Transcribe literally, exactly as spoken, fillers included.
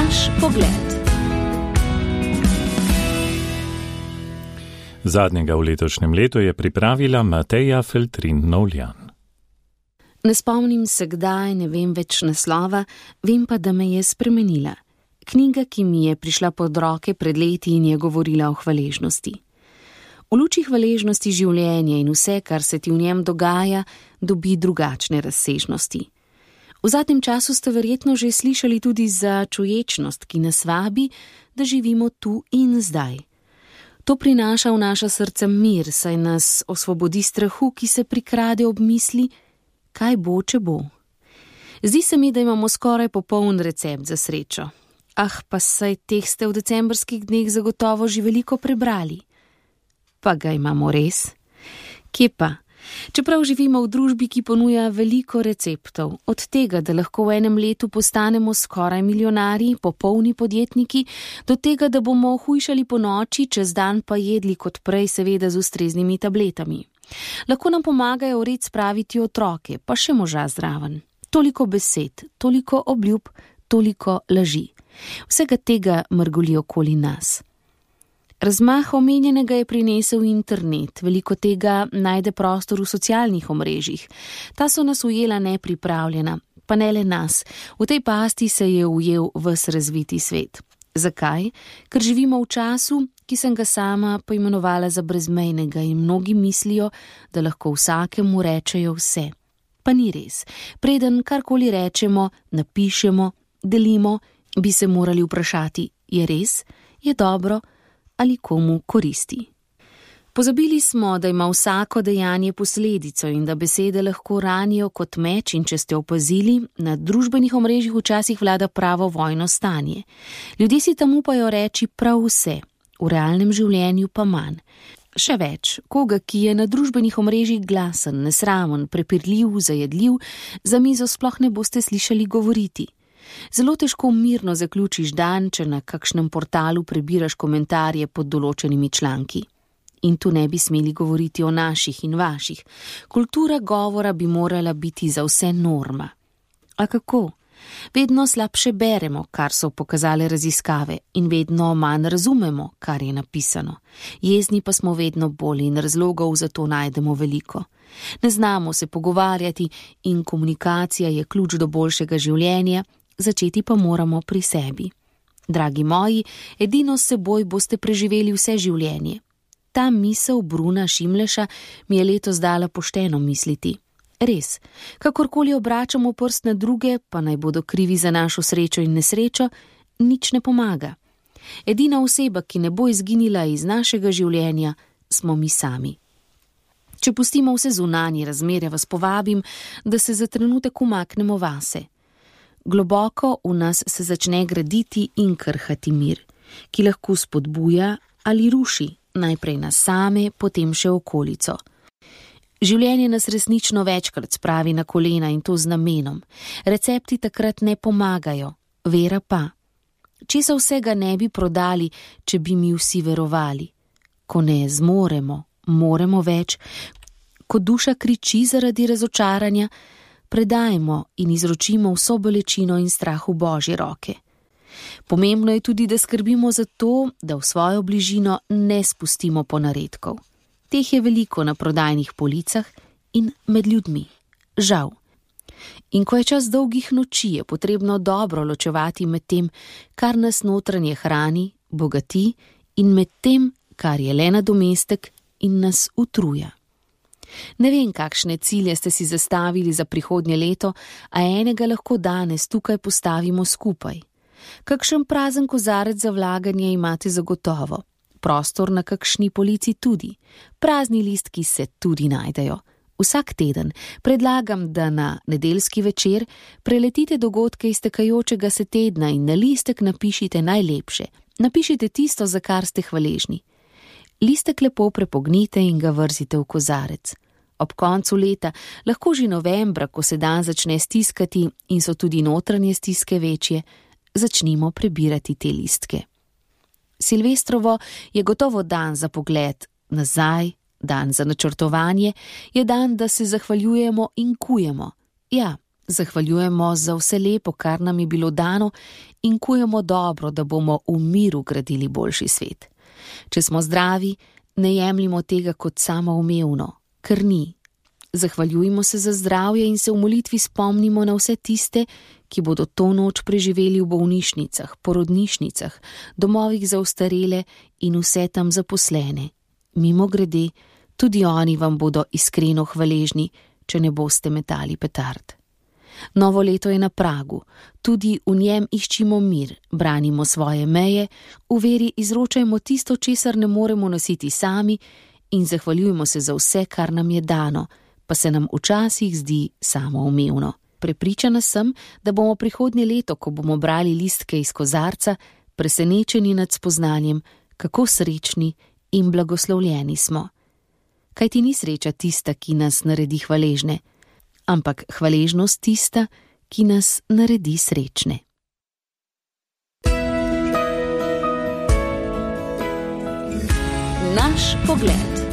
Naš pogled. Zadnjega v letošnjem letu je pripravila Mateja Feltrin-Novljan. Ne spomnim se kdaj, ne vem več naslova, vem pa, da me je spremenila. Knjiga, ki mi je prišla pod roke pred leti in je govorila o hvaležnosti. V luči hvaležnosti življenja in vse, kar se ti v njem dogaja, dobi drugačne razsežnosti. V zadnjem času ste verjetno že slišali tudi za čuječnost, ki nas vabi, da živimo tu in zdaj. To prinaša v naša srca mir, saj nas osvobodi strahu, ki se prikrade ob misli, kaj bo, če bo. Zdi se mi, da imamo skoraj popoln recept za srečo. Ah, pa saj teh ste v decembrskih dneh zagotovo že veliko prebrali. Pa ga imamo res? Kje pa? Čeprav živimo v družbi, ki ponuja veliko receptov, od tega, da lahko v enem letu postanemo skoraj milijonarji, popolni podjetniki, do tega, da bomo hujšali po noči, čez dan pa jedli kot prej, seveda z ustreznimi tabletami. Lahko nam pomagajo v red spraviti otroke, pa še moža zraven. Toliko besed, toliko obljub, toliko laži. Vsega tega mrgoli okoli nas. Razmah omenjenega je prinesel internet, veliko tega najde prostor v socialnih omrežjih. Ta so nas ujela nepripravljena, pa ne le nas. V tej pasti se je ujel ves razviti svet. Zakaj? Ker živimo v času, ki sem ga sama poimenovala za brezmejnega in mnogi mislijo, da lahko vsakemu rečejo vse. Pa ni res. Preden karkoli rečemo, napišemo, delimo, bi se morali vprašati, je res, je dobro ali komu koristi. Pozabili smo, da ima vsako dejanje posledico in da besede lahko ranijo kot meč in če ste opazili, na družbenih omrežjih včasih vlada pravo vojno stanje. Ljudje si tam upajo reči prav vse, v realnem življenju pa manj. Še več, koga, ki je na družbenih omrežjih glasen, nesramen, prepirljiv, zajedljiv, za mizo sploh ne boste slišali govoriti. Zelo težko mirno zaključiš dan, če na kakšnem portalu prebiraš komentarje pod določenimi članki. In tu ne bi smeli govoriti o naših in vaših. Kultura govora bi morala biti za vse norma. A kako? Vedno slabše beremo, kar so pokazale raziskave, in vedno manj razumemo, kar je napisano. Jezni pa smo vedno bolj in razlogov za to najdemo veliko. Ne znamo se pogovarjati in komunikacija je ključ do boljšega življenja, začeti pa moramo pri sebi. Dragi moji, edino s seboj boste preživeli vse življenje. Ta misel Bruna Šimleša mi je letos dala pošteno misliti. Res, kakorkoli obračamo prst na druge, pa naj bodo krivi za našo srečo in nesrečo, nič ne pomaga. Edina oseba, ki ne bo izginila iz našega življenja, smo mi sami. Če pustimo vse zunanje razmere, vas povabim, da se za trenutek umaknemo vase. Globoko v nas se začne graditi in krhati mir, ki lahko spodbuja ali ruši, najprej nas same, potem še okolico. Življenje nas resnično večkrat spravi na kolena in to z namenom. Recepti takrat ne pomagajo, vera pa. Česa vsega ne bi prodali, če bi mi vsi verovali? Ko ne zmoremo, moremo več, ko duša kriči zaradi razočaranja, predajmo in izročimo vso bolečino in strah v Božje roke. Pomembno je tudi, da skrbimo za to, da v svojo bližino ne spustimo ponaredkov. Teh je veliko na prodajnih policah in med ljudmi. Žal. In ko je čas dolgih noči, je potrebno dobro ločevati med tem, kar nas notranje hrani, bogati, in med tem, kar je le nadomestek in nas utruja. Ne vem, kakšne cilje ste si zastavili za prihodnje leto, a enega lahko danes tukaj postavimo skupaj. Kakšen prazen kozarec za vlaganje imate zagotovo. Prostor na kakšni polici tudi. Prazni listki se tudi najdejo. Vsak teden predlagam, da na nedeljski večer preletite dogodke iztekajočega se tedna in na listek napišite najlepše. Napišite tisto, za kar ste hvaležni. Listek lepo prepognite in ga vrzite v kozarec. Ob koncu leta, lahko že novembra, ko se dan začne stiskati in so tudi notranje stiske večje, začnimo prebirati te listke. Silvestrovo je gotovo dan za pogled nazaj, dan za načrtovanje, je dan, da se zahvaljujemo in kujemo. Ja, Zahvaljujemo za vse lepo, kar nam je bilo dano, in kujemo dobro, da bomo v miru gradili boljši svet. Če smo zdravi, ne jemljimo tega kot samoumevno, ker ni. Zahvaljujmo se za zdravje in se v molitvi spomnimo na vse tiste, ki bodo to noč preživeli v bolnišnicah, porodnišnicah, domovih za ostarele in vse tam zaposlene. Mimogrede, tudi oni vam bodo iskreno hvaležni, če ne boste metali petard. Novo leto je na pragu, tudi v njem iščimo mir, branimo svoje meje, v veri izročajmo tisto, česar ne moremo nositi sami, in zahvaljujmo se za vse, kar nam je dano, pa se nam včasih zdi samoumevno. Prepričana sem, da bomo prihodnje leto, ko bomo brali listke iz kozarca, presenečeni nad spoznanjem, kako srečni in blagoslovljeni smo. Kajti ni sreča tista, ki nas naredi hvaležne, ampak hvaležnost tista, ki nas naredi srečne. Naš pogled.